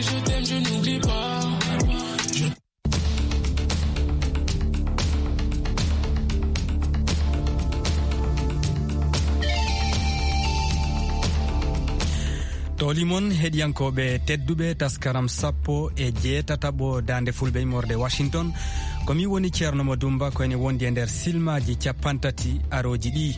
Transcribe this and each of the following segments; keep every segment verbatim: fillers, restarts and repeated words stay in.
Je t'aime, je n'oublie pas. Toli mon heɗiyankooɓe tedduɓe, taskaram sappo e jeetataɓo Daande Fulɓe immorde Washington. Ko mi woni Ceerno Mo Dumba, ko ene wondi e nder silmaaji cappanɗe tati arooji ɗi.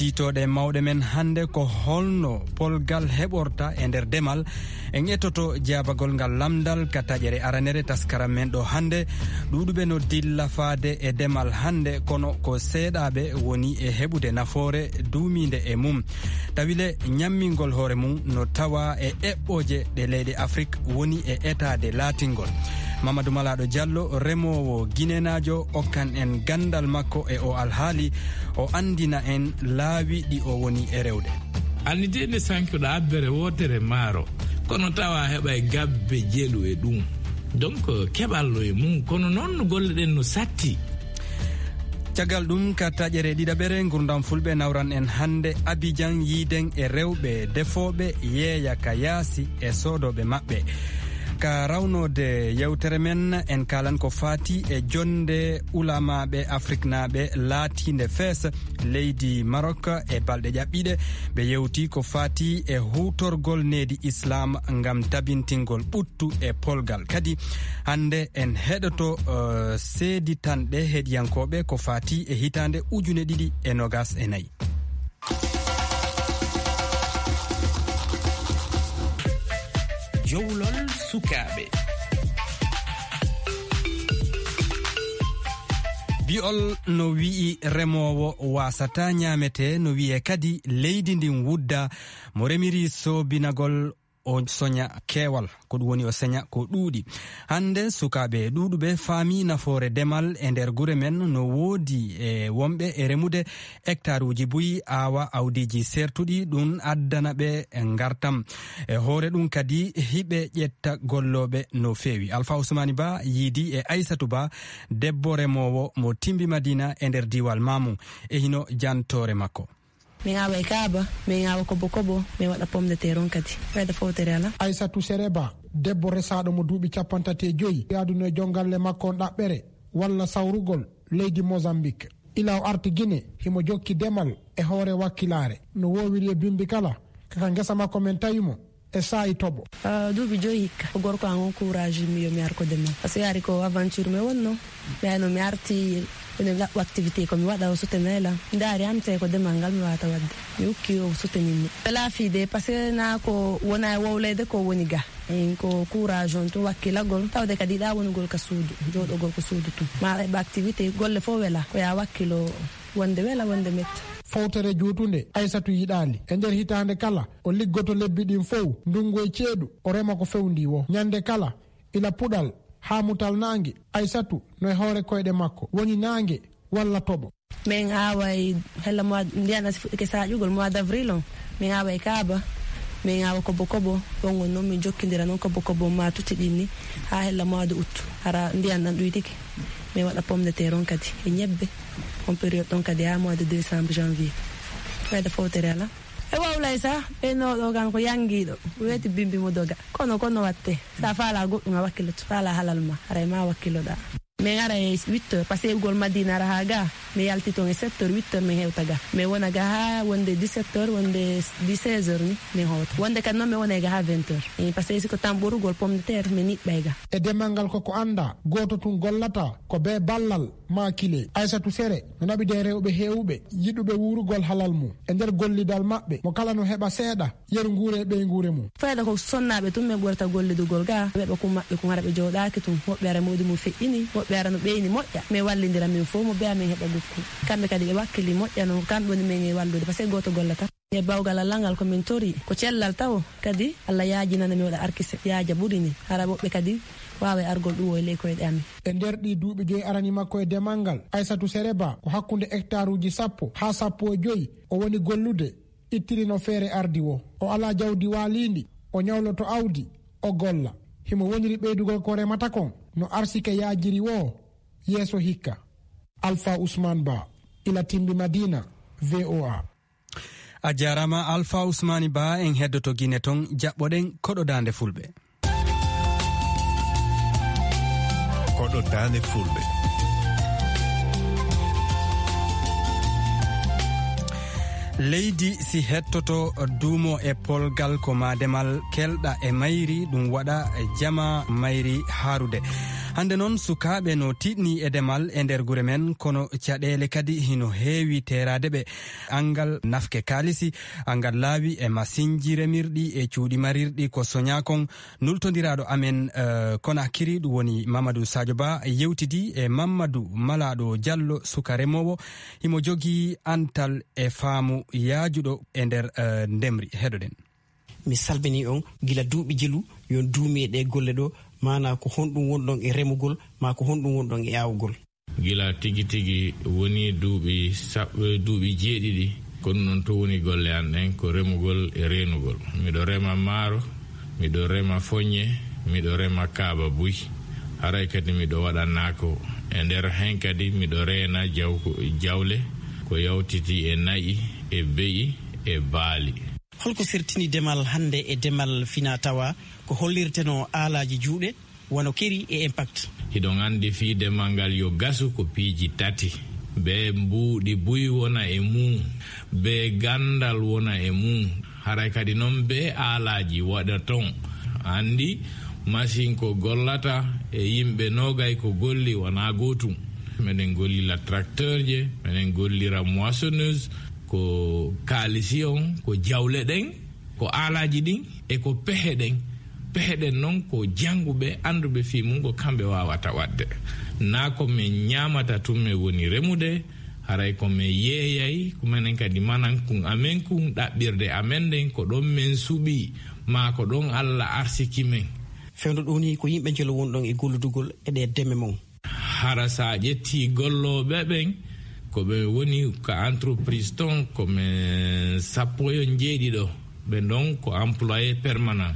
Tiitooɗe mawɗe men hannde ko holno polgal heɓorta e nder demal. En ettoto jaabagol ngal lamndal ka taƴere aranere taskaram men ɗo hannde. Ɗuuɗuɓe no dilla faade e demal hannde, kono ko seeɗaaɓe woni e heɓude nafoore duumiinde e mum. Tawile ñammingol hoore mum no tawa e eɓɓooje ɗe leyɗe Afrik woni e etaade laatingol. Mamadou Malaaɗo Diallo, remoowo ginenaajo, okkan en ganndal makko e o alhaali, o anndina en laawi ɗi o woni e rewde. Annidiinde sankuɗo abbere wootere maaro, kono tawa heɓa e gabbe jelu e ɗum. Donc, keɓal no e mum, kono noon no golle ɗen no satti. Caggal ɗum, ka taƴere ɗiɗaɓere Ngurdam Fulɓe, nawran en hannde Abidjan, yiiden e rewɓe defooɓe yeeya ka yaasi e soodooɓe maɓɓe. Ka rawnoode yewtere men, en kaalan ko faati e jonnde ulamaaɓe afriknaaɓe laatiinde fees leydi Maroc e balɗe ƴaɓɓiiɗe. Ɓe yewti ko faati e huutorgol needi Islam ngam tabintingol ɓuttu e polgal. Kadi hannde en heɗoto, eh, seeditanɗe heɗiyankooɓe ko faati e hitaande ujune ɗiɗi e nogas e nayi. Jowlol sukaaɓe. Bi'ol no wi'i remoowo waasata ñaametee, no wi'e kadi leydi ndin wudda. Mo remiri soobinagol o soña keewal, ko ɗum woni o seña ko ɗuuɗi. Hannde sukaaɓe ɗuuɗuɓe faami nafoore demal e nder gure men, no woodi e wonɓe e remude hectaruuji buy, aawa awdiiji sertuɗi, ɗum addana ɓe ngartam. E hoore ɗum kadi hiɓe ƴetta gollooɓe no feewi. Alfa Usmani Ba yiidi e Aysatu Ba, debbo remoowo mo Timbi Madina e nder diiwal Maamu. E hino jantoore makko. Min awa e kaaba, min awa kobo kobo, min waɗa pomme de terre on kadi. Fayda fowtere ala. Aysatu Sere Ba, debbo resaaɗo mo duuɓi cappanɗe tati e joyi, yaadunoo e jongalle makko on ɗaɓɓere walla sawrugol leydi Mozambique. Ila o arti Gine, himo jokki demal e hoore wakkilaare. No woowiri e bimbi kala, kaka ngesa makko men tawi mo e saa'i toɓo. Ah, duuɓi joyi hikka. Ko gorko an on courage mi yo mi ar ko demal. Parce que yaari ko aventure mi wonno. Mi ayno mi arti, ene laɓɓo activité ko mi waɗa o soutenir la. Mi daari am tawi ko demal ngal mi wawata waɗde. Mi ukki o soutenir mi. Laafiide, parce que na ko wona e wowlede ko woni ga. En ko courage on tun, wakkilagol, tawde kadi yiɗa wonugol ka suudu, jooɗogol ko suudu tun. Ma heɓa activité, golle fof wela, ko ya wakkilo wonde wela, wonde metta. Fowtere juutunde, Aysatu yiɗaali. E nder hitaande kala, o liggoto lebbi ɗin fow, ndungu e ceeɗu, o rema ko fewndi wo. Ñande kala, ila puɗal haa mutal naange, Aysatu no e hoore koyɗe makko, woni naange walla toɓo. Min aaway hella mois, ndiyan asi fuɗɗike saaƴugol mois d'avril on. Min aaway kaaba, min aawa kobo kobo, ɗon on noon min jokkindira noon kobo kobo ma tutti ɗin ni, haa hella mois de août. Hara ndiyan ɗan ɗuytike, min waɗa pomme de terre on kadi, e ñebbe, on période ɗon kadi haa mois de décembre, janvier. Fayda fowtere ala. E wawlay sa, ɓeynooɗo kan ko yangiiɗo, weeti bimbi mo doga. Kono, kono watte, sa faala goɗɗum a wakkiloto, faala halal ma, haray ma wakkiloɗa. Min ara e huit heures, parce que ugol Madina ara haa ga, mi yalti toon e sept heures, huit heures min hewta ga. Mi wona ga haa wonde dix-sept heures, wonde seize heures ni, min hewta. Wonde kadi noon mi wona ga haa vingt heures. Eh, parce que si ko tan ɓorugol pomme de terre, mi niɓɓay ga. E demal ngal koko anndaa, gooto tun gollata ko bee ballal maa kile. Aysatu Sere no naɓide e rewɓe heewuɓe yiɗuɓe wuurugol halal mum. E nder gollidal maɓɓe, mo kala no heɓa seeɗa, yeru nguure e ɓeynguure mum. Fayda ko sonnaaɓe tun min ɓurata gollidugol ga. Ɓe ɓe kun maɓɓe kun hara ɓe jooɗaaki tun. Woɓɓe ara moodi mum feƴƴini, woɓɓe ara no ɓeyni moƴƴa. Min wallindira min fof mo beya min heɓa gukku. Kamɓe kadi ɓe wakkili moƴƴa no, kamɓe woni min e wallude, parce que gooto gollata. E bawgal Allah ngal ko min tori, ko cellal tawo. Kadi Allah yaajinana mi waɗa arkise, yaaja ɓuri ni. Hara woɓɓe kadi waawa e argol ɗum o e ley koyɗe amin. E nder ɗii duuɓi joyi arani makko e demal ngal, Aysatu Sere Ba ko hakkunde hectaruuji sappo haa sappo e joyi o woni gollude. Ittirino feere ardi wo. O alaa jawdi waaliindi, o ñawloto awdi, o golla. Himo woniri ɓeydugol ko remata kon, no arsike yaajiri wo yeeso hikka. Alfa Usman Ba, ila Timbi Madina, V O A. A jaaraama, Alpha Ousmane Ba. En heddoto Gine toon, jaɓɓoɗen koɗo daande Fulɓe. Koɗo daande Fulɓe. Leydi si hettoto duumo e polgal, ko maa demal kelɗa e mayri, ɗum waɗa jama mayri haarude. Hannde noon, sukaaɓe no tiiɗni e demal e nder gure men, kono caɗeele kadi hino heewi teeraade ɓe. Anngal nafke kaalisi, anngal laawi e masinji remirɗi e cuuɗi marirɗi ko soñaa kon. Nultondiraaɗo amen, eh, Konakiri, ɗum woni Mamadou Sadio Ba, yewtidi e Mamadou Malaaɗo Jallo, suka remoowo. Himo jogii antal e faamu yaajuɗo e nder, eh, ndemri. Heɗoɗen. Mi salmini on gila duuɓi jelu, yo on duumi e ɗee golle ɗoo, maanaa ko honɗum wonɗon e remugol, maa ko honɗum wonɗon e aawugol? Gila tigi tigi woni duuɓi sab-, duuɓi jeeɗiɗi, kono noon to woni golle an ɗen ko remugol e reenugol. Miɗo rema maaro, miɗo rema foññe, miɗo rema kaaba buy. Haray kadi miɗo waɗa naako. E nder hen kadi miɗo reena jawko-, jawle ko yawtiti e na'i, e be'i, e baali. Holko sertini demal hannde e demal finaa tawaa? Ko hollirtenoo aalaaji juuɗe, wano Keri e Impact? Hiɗon anndi fii demal ngal yo gasu ko piiji tati. Bee mbuuɗi buy wona e mum, bee ganndal wona e mum. Haray kadi noon bee aalaaji waɗa toon. Anndi, masin ko gollata e yimɓe noogay ko golli wonaa gootum. Meɗen gollira tracteurje, meɗen gollira moissonneuse, ko kaalisi on, ko jawle ɗen, ko aalaaji ɗin, e ko pehe ɗen. Pehe ɗen noon ko jannguɓe, annduɓe fii mum, ko kamɓe waawata waɗde. Naa ko men ñaamata tun men woni remude, haray ko men yeeyay, ko menen kadi manankun amen kun, ɗaɓɓirde amen nden, ko ɗon men suɓii, maa ko ɗon Alla arsiki men. Fewndo ɗoo nii ko yimɓe njelo wonɗon e golludugol e ɗee deme mon. Hara so a ƴettii gollooɓe ɓen, ko ɓe woni ka entreprise ton, ko men sappo e njeeɗiɗo. Ɓe ɗon ko employé permanent.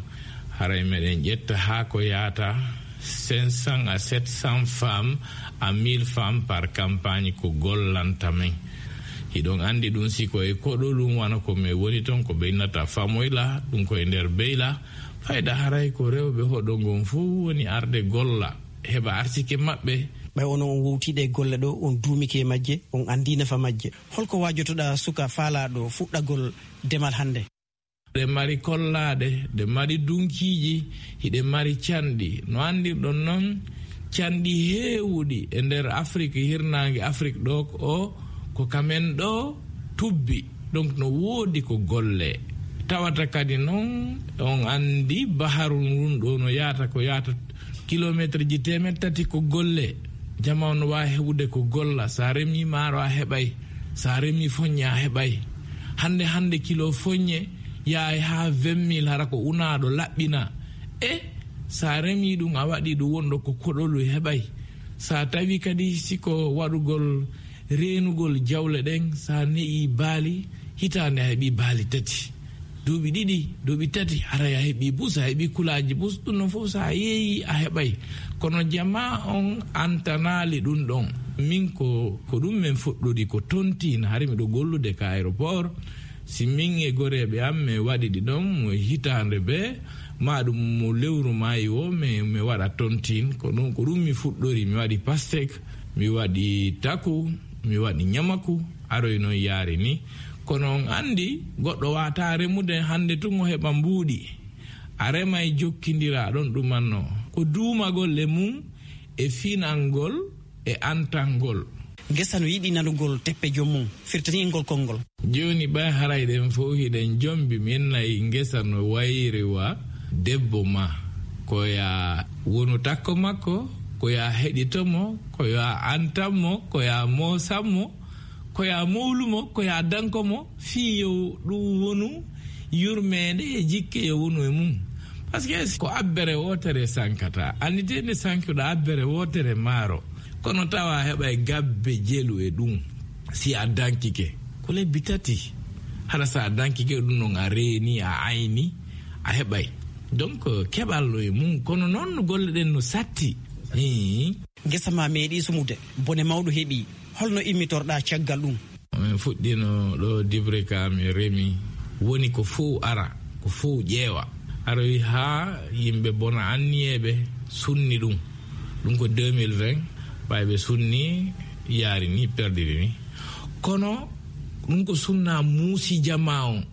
Haray meɗen ƴetta haa ko yaata cinq cents à sept cents femmes à mille femmes par campagne ko gollanta men. Hiɗon anndi ɗum, si ko e koɗo ɗum wano ko men woni ton, ko ɓe innata famoyla, ɗum ko e nder beyla. Fayda haray ko rewɓe hoɗo ngon fof woni arde golla, heɓa arsike maɓɓe. Ɓay onon on wowtii ɗee golle ɗoo, on duumike e majje, on anndii nafa majje. Holko waajotoɗaa suka faalaaɗo fuɗɗagol demal hannde? Ɗe mari kollaaɗe, ɗe mari dunkiiji, hiɗe mari canɗi. No anndirɗon non, canɗi heewuɗi e nder Afrik, hirnaange Afrik ɗoo o, ko ka men ɗoo tubbi. Donc, no woodi ko golle. Tawata kadi non, on anndi baharu ndun ɗoo no yaata, ko yaata kilometre ji teemeɗɗe tati ko golle. Jamaa no waawi heɓude ko golla. Sa remi maaro a heɓay. Sa remi foññe a heɓay. Hannde, hannde kilo foññe yahay haa vingt mille, hara ko unaaɗo laɓɓina. E sa remi ɗum, a waɗi ɗum wonɗo ko koɗolu heɓay. Sa tawi kadi si ko waɗugol reenugol jawle ɗen, sa ne'i baali, hitaande a heɓi baali tati. Duuɓi ɗiɗi, duuɓi tati, haray a heɓi bus, a heɓi kulaaji bus, ɗum non fof sa yeeyi a heɓay. Kono jamaa on antanaali ɗum ɗon. Min ko, ko ɗum men fuɗɗori ko tontin, hari miɗo gollude ka aéroport. Si min e goreeɓe am, mi waɗi ɗi ɗon mo hitaande bee, maa ɗum mo lewru maayi woo, mi, mi waɗa tontin. Ko ɗum, ko ɗum mi fuɗɗori, mi waɗi pastek, mi waɗi taku, mi waɗi ñamaku, aroy noon yaari ni. Kono on anndi, goɗɗo waawataa remude hannde tun o heɓa mbuuɗi. A remay jokkindira ɗon ɗumannoo. Ko duumagol e mum, e finangol, e antangol. Ngesa no yiɗi nanugol teppe joom mum, firtani en ngol konngol. Jooni ɓay haray ɗen fow hiɗen jombi, min nayi ngesa no wayri wa debbo ma. Ko ya wonu takko makko, ko ya heɗito mo, ko ya antan mo, ko ya moosan mo, ko ya mowlu mo, ko ya danko mo, fii yo ɗum wonu yurmeende e jikke yo wonu e mum. Parce que ko abbere wootere sankata. Annditee nde sankuɗa abbere wootere maaro. Kono tawa a heɓay gabbe jelu e ɗum. Si a dankike, ko lebbi tati. Hara sa a dankike ɗum non a reeni, a ayni, a heɓay. Donc, keɓal no e mum. Kono noon no golle ɗen no satti. Hii. Ngesa ma meeɗi sumude. Bone mawɗo heɓi. Holno immitorɗa caggal ɗum? Min fuɗɗino ɗo dibre ka mi remi, woni ko fow ara, ko fow ƴeewa. Aroyi haa yimɓe bona anniyeeɓe sunni ɗum. Ɗum ko deux mille vingt, ɓay ɓe sunni yaari ni, perdiri ni. Kono ɗum ko sunna muusi jama on.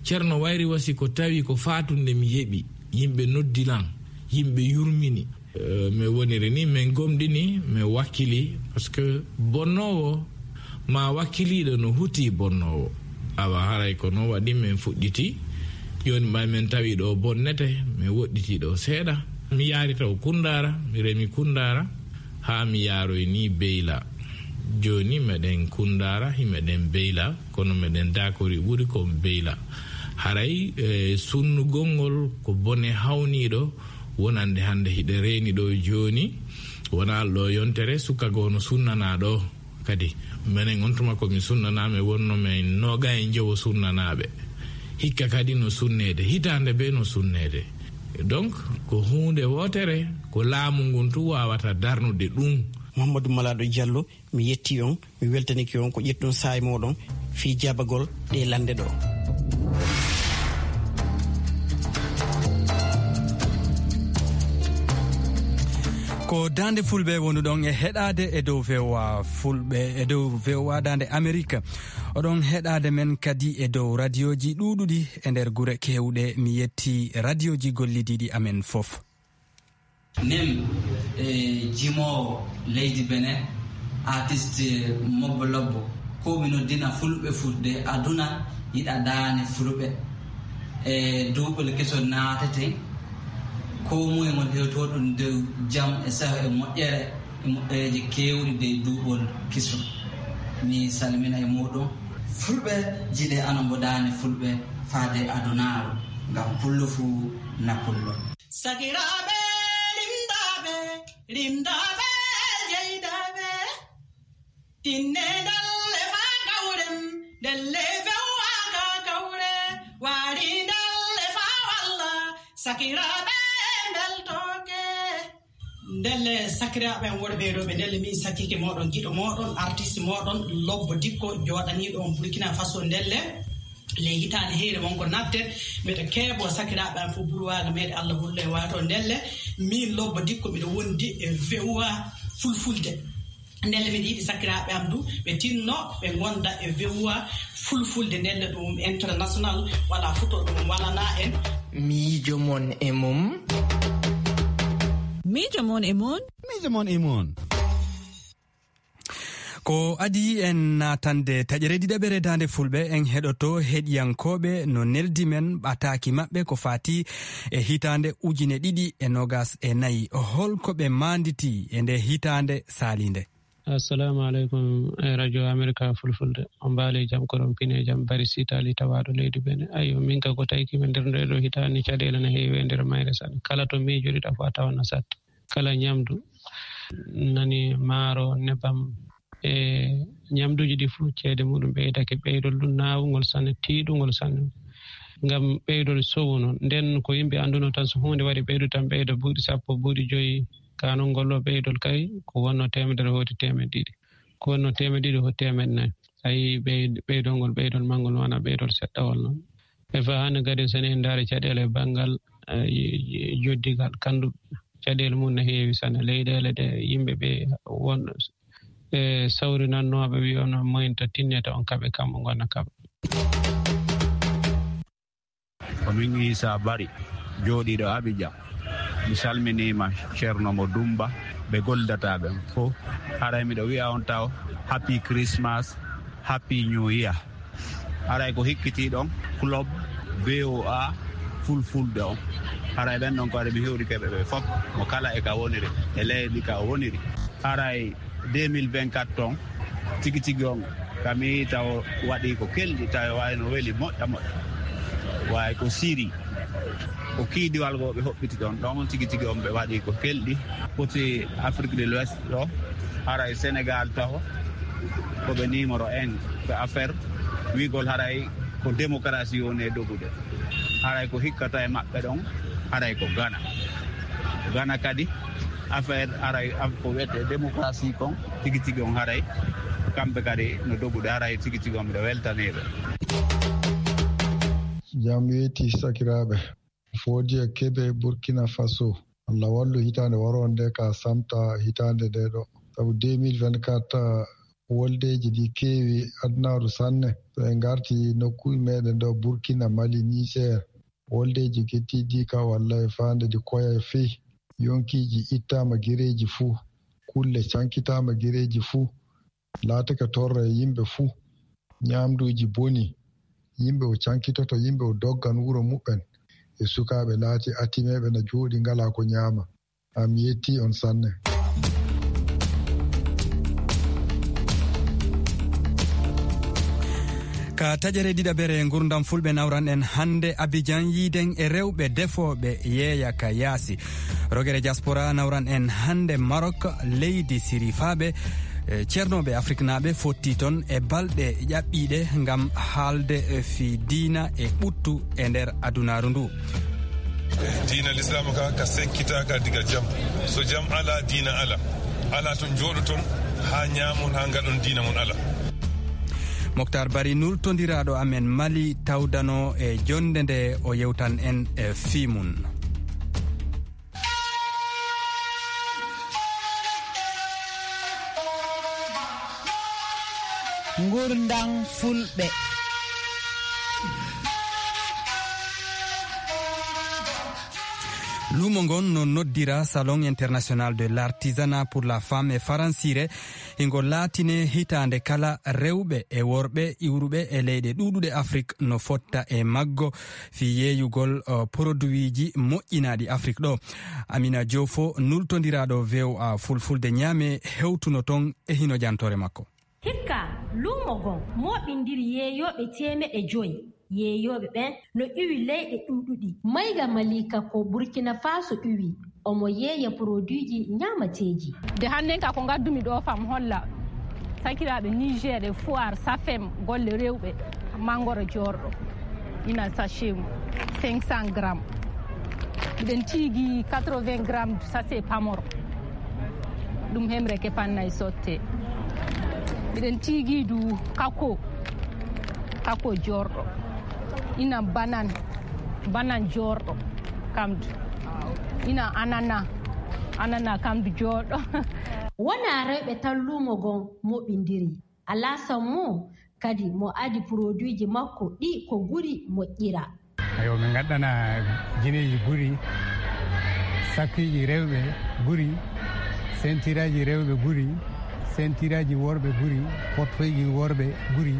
Ceerno Wayri Wasi ko tawi ko faatunde mi yeɓi, yimɓe noddi lan, yimɓe yurmini. Eh, mi woniri ni, min gomɗini, mi wakkili, parce que bonnoowo ma wakkiliiɗo no huti bonnoowo. Awa haray ko noon waɗi min fuɗɗiti. Jooni ɓay min tawi ɗo bonnete, min woɗɗiti ɗo seeɗa. Mi yaari taw Kundaara, mi remi Kundaara, haa mi yaaroy ni Beyla. Jooni meɗen Kundaara, himeɗen Beyla, kono meɗen daakori ɓuri kon Beyla. Haray, eh, sunnugol ngol ko bone hawniiɗo, wonande hannde hiɗe reeni ɗo jooni, wona alɗo yontere, suka goo no sunnanaa ɗo. Kadi, menen on tuma ko mi sunnanaa, mi wonno men nooga e njowo sunnanaaɓe. Hikka kadi no sunneede, hitaande be no sunneede. Donc, ko huunde wootere, ko laamu ngun tu waawata darnude ɗum. Mouhamadou Malado Diallo, mi yetti on, mi weltanike on ko ƴettuɗon saa'i mooɗon fii jaabagol ɗee lannde ɗo. Ko Daande Fulɓe wonuɗon e heɗaade e dow V O A Fulɓe, e dow V O A Daande Amerik. Oɗon heɗaade men kadi e dow radioji ɗuuɗuɗi e nder gure keewɗe. Mi yetti radioji gollidiiɗi amen fof. Min, e jimoowo leydi Benin, artiste Mobbo Lobbo, ko mi noddina fulɓe fudde aduna yiɗa daane fulɓe. E duuɓol kesol naateten, ko moye ngol hewtoɗum dow jam e saho e moƴƴere, e moƴƴereeji keewɗi dow duuɓol kesol. Mi salmina e muɗum. Fulɓe, jiɗe ana mbo daane fulɓe faade adunaaru, ngam pullo fuu na pullo. Sakiraaɓe rimdaaɓe, rimdaaɓe jeydaaɓe, tinne ndalle faa kawren, ndelle fewwa ka kawre, waari ndalle faa walla, sakiraaɓe mbeltooke. Ndelle sakiraaɓe am worɓe e rewɓe, ndelle min sakkiike mooɗon, giɗo mooɗon, artiste mooɗon, Lobbo Dikko, jooɗaniiɗo on Burkina Faso, ndelle. Ley hitaande heyre won ko naɓte, mbeɗa keeboo sakiraaɓe am fof burwaaga meeɗe Allah hullo e waato. Ndelle, miin Lobbo Dikko, mbiɗa wondi e V O A Fulfulde. Ndelle, mbiɗa yiɗi sakiraaɓe am du, ɓe tinno, ɓe ngonda e V O A Fulfulde. Ndelle, ɗum international, wala futo ɗum walana en. Miijo mon e mum. Miijo mon e mon. Miijo mon e mon. Ko adii en naatande taƴere ɗiɗaɓere Daande Fulɓe, en heɗoto heɗiyankooɓe no neldi men ɓataaki maɓɓe ko faati e hitaande ujine ɗiɗi e noogas e nayi. Hol ko ɓe maanditi e nde hitaande saaliinde? Assalamu aleykum, e Radio America Fulfulde. On mbaali jam, koɗon pine jam, bari sitali tawaaɗo leydi Benin. Ayyo, min ka ko tawki min nder nde ɗo hitaande caɗeele na heewi e nder mayre saɗa. Kala to miijoɗiɗa fof a tawan na saɗta. Kala ñamdu nani maaro, nebam, e ñamduuji ɗi fof ceede muɗum ɓeydake. Ɓeydol ɗum naawungol sanne, tiiɗungol sanne. Ngam ɓeydol sowu noon. Nden ko yimɓe annduno tan so huunde waɗi ɓeydu tan ɓeyda buuɗi sappo, buuɗi joyi. Ka noon ngol ɗo ɓeydol kay ko wonno teemedere hooti teemeɗe ɗiɗi. Ko wonno teemeɗe ɗiɗi hooti teemeɗe nayi. A yii ɓey-, ɓeydol ngol, ɓeydol manngol wona ɓeydol seɗɗawol noon. E fa hannde kadi so en ndaari caɗeele banngal, eh, joddigal, kanndu caɗeele mum no heewi sanne. Leyɗeele ɗe yimɓe ɓe won, e sawrinannooɓe wiyono moyta tinnete on kaɓe kamɓe ngona kaɓa. Ko min Issa Bari, jooɗiiɗo Abidjan. Mi salminiima Ceerno mo Dumba, ɓe goldataa ɓen fof. Haray miɗo wi'a on taw Happy Christmas, Happy New Year. Haray ko hikkitiiɗon club V O A Fulfulde on. Haray ɓen ɗon ko ari mi hewrike ɓe ɓe fof, mo kala e ka woniri, e leydi ka o woniri. Haray deux mille vingt-quatre ton, tigi tigi on, ka mi yii taw waɗi ko kelɗi, taw waay no weli moƴƴa moƴƴa. Waay ko siri, ko kiidiwal goo ɓe hoɓɓiti ɗon, ɗon tigi tigi on ɓe waɗi ko kelɗi. Foti Afrique de l'Ouest ɗo, haray Sénégal taho, ko ɓe numéro un, ko affaire wiigol haray ko démocratie woni e dogude. Haray ko hikkata e maɓɓe ɗon, haray ko Ghana. Ghana kadi, affaire haray, af-, ko wiyetee démocratie kon, tigi tigi on haray, Kamɓe kadi no dogude, haray tigi tigi on miɗo weltanii ɓe. Jam weeti sakiraaɓe. Foodi e Kebe, Burkina Faso. Allah wallu hitaande waroonde ka samta hitaande nde ɗo. Sabu deux mille vingt-quatre, woldeeji ɗi keewi adunaaru sanne. So en ngarti nokkuuji meɗen ɗo, Burkina, Mali, Niger, woldeeji keddiiɗi ka walla e faande ɗi koya e fii. Yonkiiji ittaama gireeji fuu, kulle cankitaama gireeji fuu. Laatake torra e yimɓe fuu. Ñaamduuji boni. Yimɓe o cankitoto, yimɓe o doggan wuro muɓɓen. E sukaaɓe laati atimeeɓe na jooɗi ngalaa ko ñaama. Am yetti on sanne. Ka taƴere ɗiɗaɓere ngurdam fulɓe nawran en hannde Abidjan, yiiden e rewɓe defooɓe yeeya ka yaasi. Rogere diaspora nawran en hannde Maroc, leydi sirifaaɓe, eh, ceernooɓe afriknaaɓe fotti ton e balɗe ƴaɓɓiiɗe ngam haalde, eh, fii diina e ɓuttu e nder adunaaru ndu. Diina Lislaam ka, ka sekkitaaka diga jam. So jam alaa, diina alaa. Alaa ton jooɗoton haa ñaamon, haa ngaɗon diina mon alaa. Moktar Bari, nultondiraaɗo amen Mali, tawdano e jonnde nde, o yewtan en e fii mum. Ngurndan Fulɓe. Luumo ngon no noddira Salon International de l'Artisanat pour la Femme e faransiire. Hingo laatine hitaande kala, rewɓe e worɓe iwruɓe e leyɗe ɗuuɗuɗe Afrik no fotta e maggo fii yeeyugol, o, poroduwiiji moƴƴinaaɗi Afrik ɗo. Amina Joofo, nultondiraaɗo V O A Fulfulde Ñaame, hewtuno ton e hino jantoore makko. Hikka, luumo ngon mooɓindiri yeeyooɓe teemeɗe joy. Yeeyooɓe ɓen no iwi leyɗe ɗuuɗuɗi. Mayga Malika ko Burkina Faso iwi, omo yeeya poroduiji ñaamateeji. Nde hannden ka ko ngaddumi ɗo fam holla sakiraaɓe Niger e Foire Safem golle rewɓe, mangoro joorɗo, ina sachet mum cinq cents grammes. Miɗen tiigi quatre-vingts grammes sachet pamoro. Ɗum hemre ke pannay sotte. Miɗen tiigi du kako, kako joorɗo. Ina banan, banan joorɗo, kamdu. Ina anana, anana kamdu joorɗo. Wonaa rewɓe tan luumo ngon moɓindiri. Alaa sammo kadi mo adi poroduiji makko ɗi ko guri moƴƴira. Ayo, min ngaddana jineeji guri, sakkiiji rewɓe guri, sentiraaji rewɓe guri, sentiraaji worɓe guri, portefeuilleji worɓe guri.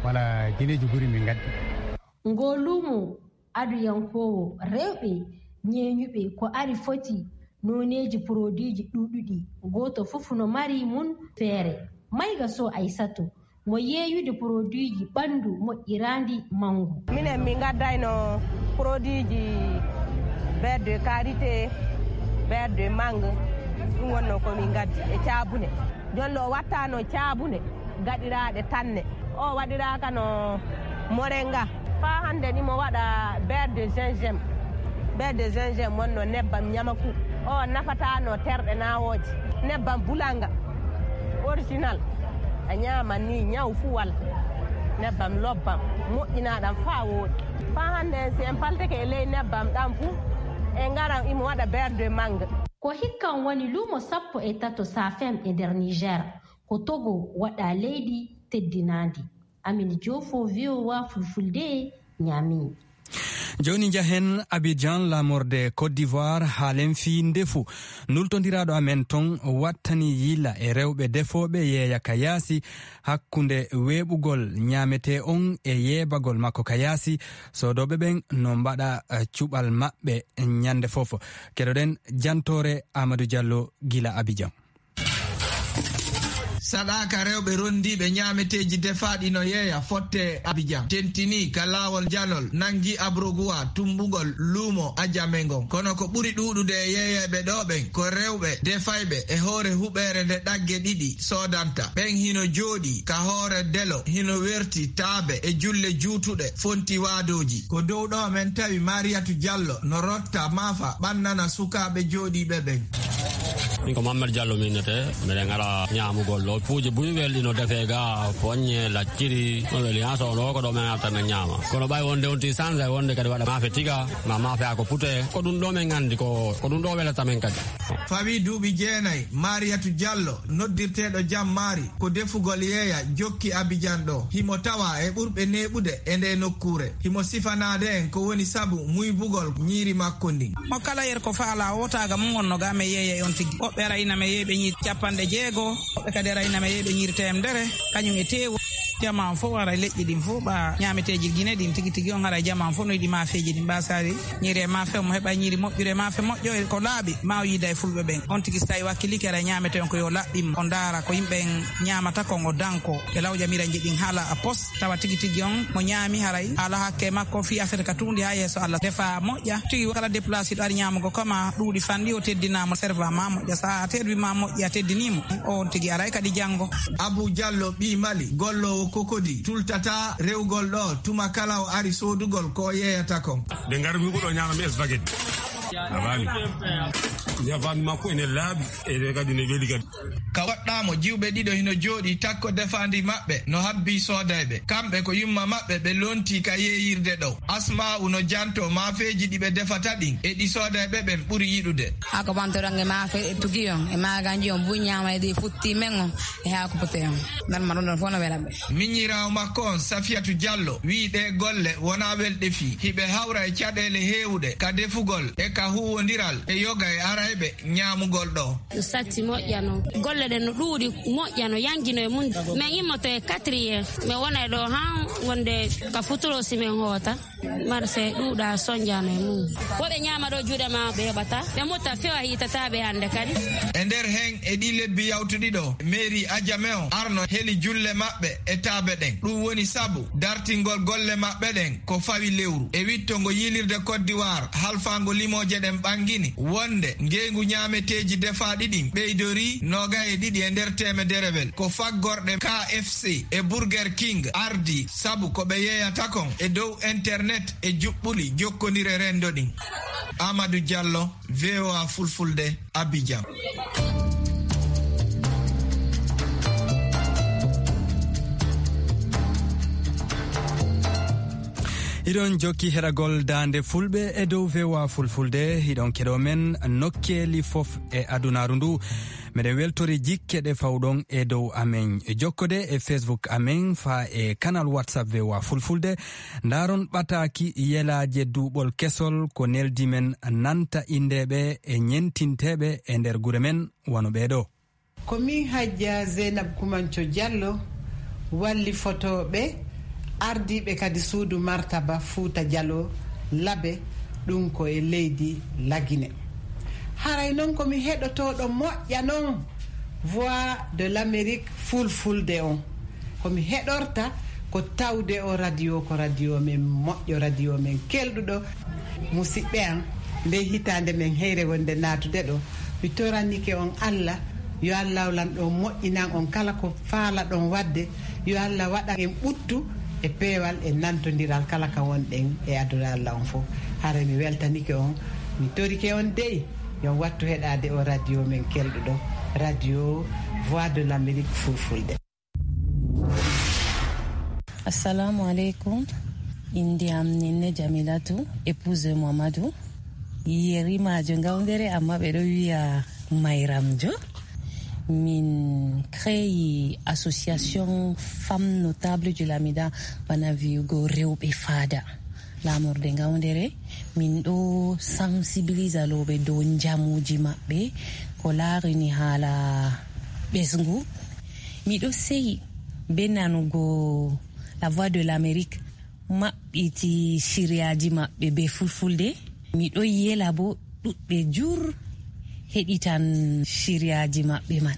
Wala jineeji guri min ngaddi. Ngoo luumo aduyankoowo rewɓe ñeeñuɓe ko ari foti nooneeji poroduiji ɗuuɗuɗi, gooto fof no mari mum feere. Mayga Sow Aysatu, mo yeeyude poroduiji ɓanndu moƴƴiraandi manngu. Minen min ngaddayno poroduiji beurre de karité, beurre de mangue, ɗum wonno ko min ngaddi e caabune. Jonno o wattano caabune gaɗiraaɗe tanne. O waɗiraaka no moringa. Faa hannde ni mo waɗa beurre de gingembre. Beurre de gingembre wonno nebbam ñamaku. O nafatano terɗe nawooje. Nebbam bulanga original. A ñaaman ni ñaw fuu wala. Nebbam lobbam moƴƴinaaɗam faa wooɗi. Faa hannde si en paltike e ley nebbam ɗam fuu, en ngaran imo waɗa beurre de mangue. Ko hikkan woni luumo sappo e tato Safem e nder Niger. Ko Togo waɗa leydi teddinaandi. Amine Joofo, V O A Fulfulde, Niamey. Jooni njahen Abidjan, laamorde Côte d'Ivoire, haalen fii ndefu. Nultondiraaɗo amen ton wattani yila e rewɓe defooɓe yeeya ka yaasi, hakkunde weeɓugol ñaametee on e yeebagol makko ka yaasi, soodooɓe ɓen no mbaɗa, eh, cuɓal maɓɓe ñande fof. Keɗoɗen jantoore Amadou Diallo gila Abidjan. Saɗaaka rewɓe rondiiɓe ñaameteeji defaaɗi no yeeya fotte Abidjan. Tentinii ka laawol janol, nangi Abrogua, tummbugol luumo Adjamé ngon. Kono ko ɓuri ɗuuɗude e yeeyeeɓe ɗoo ɓen ko rewɓe defayɓe e hoore huɓeere nde ɗagge ɗiɗi soodanta. Ɓen hino jooɗii ka hoore delo, hino werti taabe e julle juutuɗe fonti waadooji. Ko dow ɗoo men tawi Mariatu Diallo no rotta maafa ɓannana sukaaɓe jooɗiiɓe ɓen. Min ko Mammad Diallo min nete, miɗen ara ñaamugol ɗo. Puuje buy welɗi no defee ga, poññe, lacciri, no weli haa so ɗo ko ɗo men arta men ñaama. Kono ɓay wonde on ti sansa e wonde kadi waɗa maafe tiga, ma maafe ako pute, ko ɗum ɗo men anndi ko, ko ɗum ɗo welata men kadi. Fawi duuɓi jeenayi, Mariyatu Diallo, noddirteeɗo Jam Maari, ko defugol yeeya jokki Abijan ɗo. Himo tawa e ɓurɓe neeɓude e nde nokkuure. Himo sifanaade en ko woni sabu muybugol ñiiri makko ndin. Mo kala yer ko faala o taaga mum wonno ga me yeeya e on tigi. Woɓɓe ara ina me yeeɓe ñiiri capanɗe jeego, woɓɓe kadi ara ina me yeeɓe ñiiri teemdere, kañum e teewu. Jama on fof ara leƴƴi ɗin fof ɓa ñaameteeji Gine ɗin tigi tigi on ara jama on fof no yiɗi maafeeji ɗin ɓa sari. Ñiiri e maafe mo heɓa ñiiri moƴƴude e maafe moƴƴo e ko laaɓi ma o yiida e fulɓe ɓen. On tigi so tawi wakkiliki ara ñaamete on ko yo laɓɓim o ndaara ko yimɓe en ñaamata kon o danko. E lawƴa miranji ɗin haala a pos. Tawa tigi tigi on mo ñaami haray ala hakke makko fii affaire ka tuundi haa yeeso Allah. Defa moƴƴa tigi kala déplacé ɗo ari ñaamugo kama ɗuuɗi fanɗi o teddinaama serva ma moƴƴa sa a terwi ma moƴƴi a teddinimo. On tigi aray kadi janngo. Abu Diallo ɓii Mali golloowo kokodi tultata rewgol ɗo tuma kala o ari soodugol ko o yeeyata kon. Nde ngarmi ko ɗo ñaama mi spaghetti. A faami? Ndefaandi makko ene laaɓi, ene kadi ne weli kadi. Ka woɗɗaamo, jiwɓe ɗiɗo hino jooɗii takko defaandi maɓɓe no habbii soodayɓe. Kamɓe ko yumma maɓɓe ɓe lontii ka yeeyirde ɗo. Asma'u no jantoo maafeeji ɗi ɓe defata ɗin e ɗi soodayɓe ɓen ɓuri yiɗude. Ako bantorange maafe e tugi on, e maaganji on, buy ñaama e ɗi futti men on, e haako pote on. Nan ma ɗum ɗon fof no wela ɓe. Miñiraawo makko on, Safiyatu Diallo, wi'i ɗee golle wonaa welɗe fii. Hiɓe hawra e caɗeele heewuɗe ka defugol e ka huuwondiral e yoga e arayɓe ñaamugol ɗo. Satti moƴƴano. Golle ɗen no ɗuuɗi moƴƴano, yanjino e mum. Men immoto e quatrième. Men wona e ɗo han wonde ka futuro si men hoota. Marse ɗuuɗa sonjano e mum. Woɓe ñaama ɗo juuɗe ma ɓe heɓata. Ɓe mutta fewa hiitata ɓe hannde kadi. E nder hen e ɗi lebbi yawtuɗi ɗo, mairie Adjamé on arno heli julle maɓɓe e taabe ɗen. Ɗum woni sabu dartingol golle maɓɓe ɗen ko fawi lewru. E witto ngo yiilirde Côte d'Ivoire, halfaango limooje ɗen ɓangini wonde ngeygu ñaameteeji defaaɗi ɗin ɓeydorii nooga e ɗiɗi e nder teemederewel. Ko faggorɗe K F C e Burger King ardii sabu ko ɓe yeeyata kon e dow internet e juɓɓuli jokkondire renndo ɗin. Amadou Diallo, V O A Fulfulde, Abidjan. Hiɗon jokki heɗagol Daande Fulɓe e dow V O A Fulfulde. Hiɗon keɗo men nokkeeli fof e adunaaru ndu. Meɗen weltori jikke ɗe fawɗon e dow amen. Jokkode e Facebook amen faa e kanal WhatsApp V O A Fulfulde. Ndaaron ɓataaki yelaaje duuɓol kesol ko neldi men nanta inndeeɓe e ñentinteeɓe e nder gure men wano ɓee ɗoo. Ko min Hajja Zeynab Kumanco Diallo, wallifotooɓe, ardiiɓe kadi suudu martaba Fuuta Jaloo Labe, ɗum ko e leydi Lagine. Haray noon ko mi heɗotooɗo moƴƴa noon Voix de l'Amérique Fulfulde on. Ko mi heɗorta ko tawde o radio ko radio men moƴƴo, radio men kelɗuɗo. Musidɓe am, nde hitaande men heyre wonde naatude ɗo, mi toranike on Allah, yo Allah lanɗo moƴƴinan on kala ko faalaɗon waɗde, yo Allah waɗan en ɓuttu e peewal e nantondiral kala ka wonɗen e aduna Allah on fof. Haray mi weltanike on, mi torike on dey, yo on wattu heɗaade o radio men kelɗuɗo, radio Voix de l'Amérique Fulfulde. Assalamu alaikum. Inde am Ninne Jamilatu, épouse Mamadou. Yerimaajo Ngawdere, amma ɓe ɗo wiya Mayramjo. Min créé association Femmes Notables du Lamida, bana wiyugo rewɓe faada. Laamorde Ngawdere, min ɗo sensibilisa looɓe dow njamuuji maɓɓe, ko laarini haala ɓesngu. Miɗo seyi be nanugo La Voix de l'Amérique maɓɓiti siriyaaji maɓɓe be Fulfulde. Miɗo yela bo ɗuɗɓe jur heɗitan siriyaaji maɓɓe man.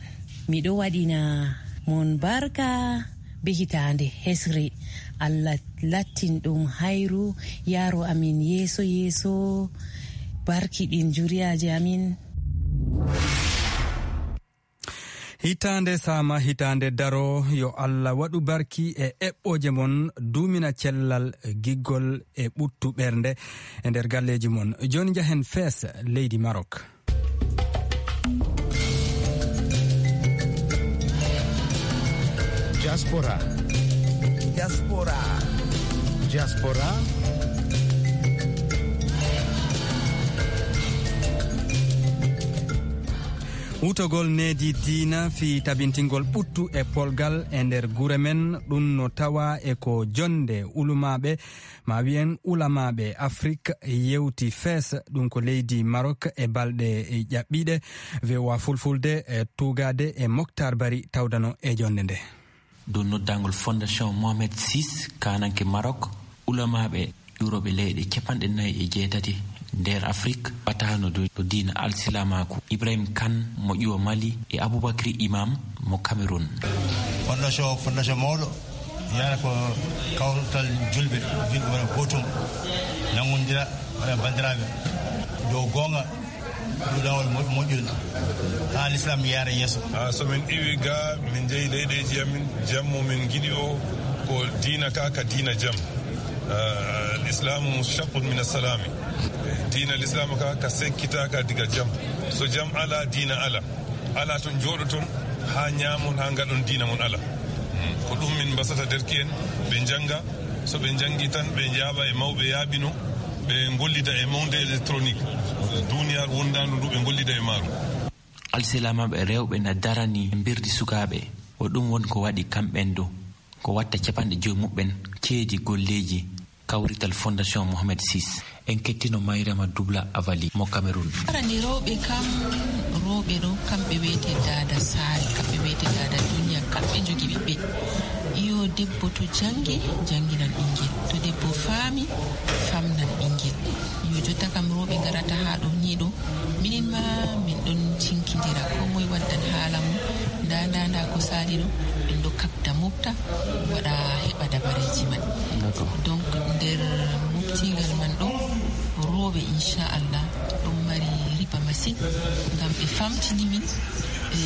Miɗo waɗina mon barka be hitaande hesre. Allah lattin ɗum hayru, yaaro amin yeeso yeeso, barkiɗin juriyaaji amin. Hitaande saama, hitaande daro, yo Allah waɗu barki e eɓɓooje mon, duumina cellal, giggol e ɓuttu ɓernde e nder galleeji mon. Jooni njahen fees leydi Marok. Diaspora. Diaspora. Diaspora. Wutogol needi diina fii tabintingol ɓuttu e polgal e nder gure men, ɗum no tawaa e ko jonnde ulumaaɓe, ma wiyen ulamaaɓe Afrik yewti Fes, ɗum ko leydi Marok e balɗe ƴaɓɓiiɗe. V O A Fulfulde e tuugaade e Moktar Bari tawdano e jonnde nde. Dow noddaangol Fondation Mohamed six, kaananke Marok, ulamaaɓe ƴuurooɓe leyɗe capanɗe nayi e jeetati nder Afrik, ɓataano dow, dow diina alsilamaaku, Ibrahim Kan mo ƴuwa Mali e Aboubacry Imam mo Cameroun. Fondation, fondation mawɗo, yana ko kawtal julɓe, julɓe wona gootum, nanngondira, wona banndiraaɓe, dow goonga, dow laawol mo-, moƴƴol, haa Lislaam yaara yeeso. Ah, so min iwi ga, min njehi leyɗeeji amin, jam mo min ngiɗi o, ko diina ka, ka diina jam. Ah, al-Islamu mushaqqun min as-salami. Diina Lislaam ka, ka sekkitaaka diga jam. So jam ala, diina ala. Ala ton njooɗoton haa ñaamon, haa ngaɗon diina mon ala. Hmm. Ko ɗum min mbasata derke'en, ɓe njannga. So ɓe njanngi tan, ɓe njaaɓa e mawɓe yaaɓino, ɓe ngollida e monde électronique. Duuniyaaru wondaandu ndu ɓe ngollida e maaru. Alsilamaaɓe rewɓe na darani mbirdi sukaaɓe. Ko ɗum woni ko waɗi kamɓen du, ko watta capanɗe jowi muɓɓen ceedi golleeji kawrital Fondation Mohamed six. En kettino Mayrama Dubla Avali mo Cameroun. Arani rewɓe kam, rewɓe ɗo, kamɓe wiyete daada saare, kamɓe wiyete daada duniya, kamɓe njogi ɓiɓɓe. Yo debbo to janngi, jannginan ɓinngel. To debbo faami, famnan ɓinngel. Yo jotta kam rewɓe ngarata haa ɗo nii ɗo. Minin ma min ɗon cinkindira, ko moye waddan haala mum. Nda, nda, nda ko saali ɗo, min ɗo kaɓda mofta, waɗa heɓa dabareeji man. D'accord. Donc, nder moftigal man ɗo, rewɓe, inchallah, ɗon mari riba masin, ngam ɓe famtini min, e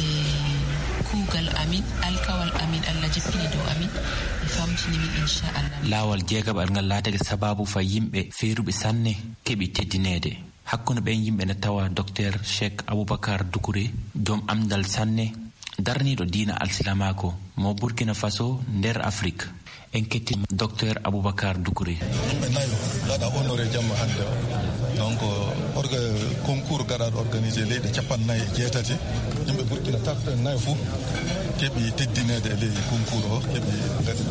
kuugal amin, alkawal amin, Allah jippini dow amin, ɓe famtini min, inchallah. Laawol jeegaɓal ngal laatake sabaabu fa yimɓe feeruɓe sanne keɓi teddineede. Hakkunde ɓen yimɓe na tawa Docteur Cheikh Aboubacar Doucouré, joom anndal sanne, daraniiɗo diina alsilamaaku mo Burkina Faso nder Afrik. En ketti Docteur Aboubacar Doucouré. Yimɓe nayo gaɗa honoré jamma hannde o. Donc, orga-, concours gaɗaaɗo organisé leyɗe capanɗe nayi e jeetati. Yimɓe Burkina capanɗe nayo fof keɓi teddineede e ley concours o, keɓi gaɗi.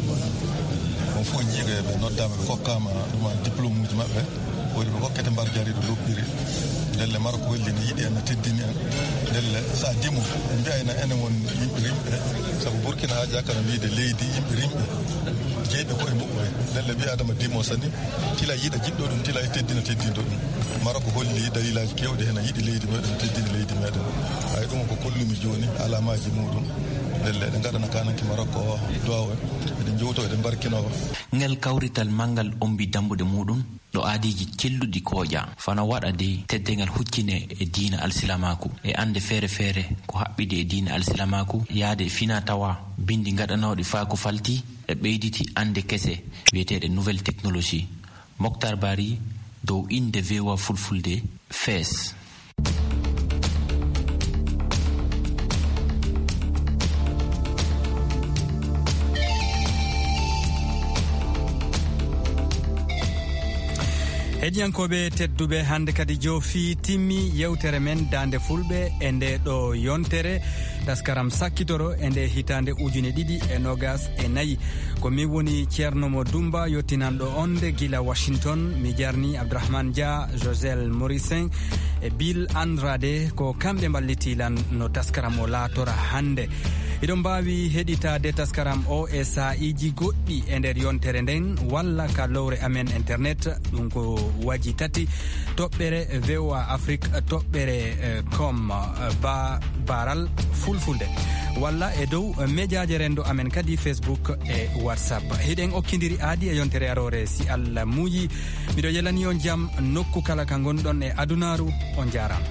On fof jiiga ɓe noddaama, ɓe kokkaama ɗuma diplôme uji maɓɓe. Woni ɓe hokkete mbar jariiɗo loppiri. Ndelle Marok holli ne yiɗi en, ne teddini en. Ndelle so a dimo, en mbiya ena enen won yimɓe rimɓe. Sabu Burkina haajaaka no wiyde leydi yimɓe rimɓe. Jeyɓe koye muɓɓen. Ndelle ɓii Adama dimo sani, tila yiɗa jiɗɗo ɗum, tila e teddina teddinɗo ɗum. Marok holli dalilaaji keewɗi heen, a yiɗi leydi meɗen, teddini leydi meɗen. Hay ɗum ko kollumi jooni, alamaaji muɗum. Ndelle eɗen ngaɗana kananke Marok o duwaaw en. Eɗen njowto, eɗen mbarkino. Ngel kawrital manngal ombi dambuɗe muɗum. Ɗo aadiiji celluɗi kooƴa, fano waɗa de teddeengal huccine e diina alsilamaaku, e annde feere feere ko haɓɓidi e diina alsilamaaku, yaade e fina tawa binndi gaɗanooɗi faa ko falti e ɓeyditi annde kese wiyeteeɗe nouvelle technologie. Moktar Bari dow innde V O A Fulfulde, Fees. Heɗiyankooɓe tedduɓe, hannde kadi joofi timmi yewtere men Daande Fulɓe e nde ɗo yontere, taskaram sakkitoro e nde hitaande ujune ɗiɗi e noogas e nayi. Ko min woni Ceerno Mo Dumba, yottinanɗo on nde gila Washington. Mi jarni Abdourahmane Dia, Josel Morissin, e Bill Andrade, ko kamɓe mballiti lan no taskaram o laatora hannde. Hiɗon mbaawi heɗitaade taskaram o e saa'iiji goɗɗi e nder yontere nden, walla ka lowre amen internet, ɗum ko waji tati, toɓɓere V O A Afrique, toɓɓere, eh, com, eh, ba-, baral Fulfulde, walla e dow, eh, mejaaje renndo amen kadi, Facebook e WhatsApp. Hiɗen okkindiri aadi e yontere aroore, si Allah muuyi. Miɗo yelani on jam nokku kala ka ngonɗon e adunaaru. On jaaraama.